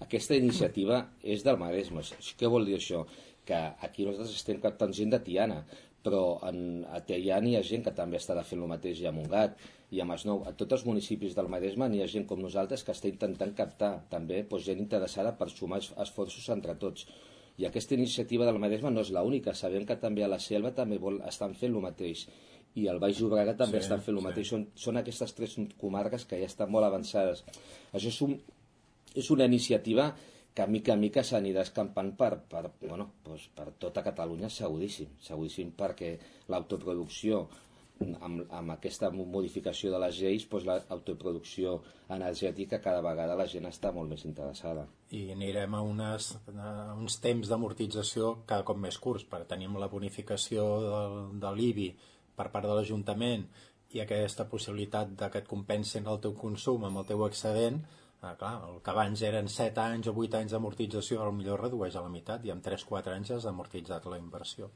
aquesta iniciativa és del Maresme. Què vol dir això? Que aquí nosaltres estem captant gent de Tiana, però a Teià hi ha gent que també estarà fent el mateix, i a Montgat, i a Masnou. A tots els municipis del Maresme hi ha gent com nosaltres que està intentant captar també gent interessada per sumar esforços entre tots. I aquesta iniciativa del Maresme no és l'única. Sabem que també a la Selva també estan fent el mateix, i al Baix Llobregat també estan fent el mateix. Són aquestes 3 comarques que ja estan molt avançades. Això és una iniciativa que mica en mica s'anirà escampant per tota Catalunya, seguríssim, perquè l'autoproducció, amb aquesta modificació de les lleis, l'autoproducció energètica, cada vegada la gent està molt més interessada. I anirem a uns temps d'amortització cada cop més curts, perquè tenim la bonificació de l'IBI per part de l'Ajuntament i aquesta possibilitat que et compensin el teu consum amb el teu excedent. Clar, el que abans eren 7 anys o 8 anys d'amortització potser redueix a la meitat, i en 3-4 anys has amortitzat la inversió.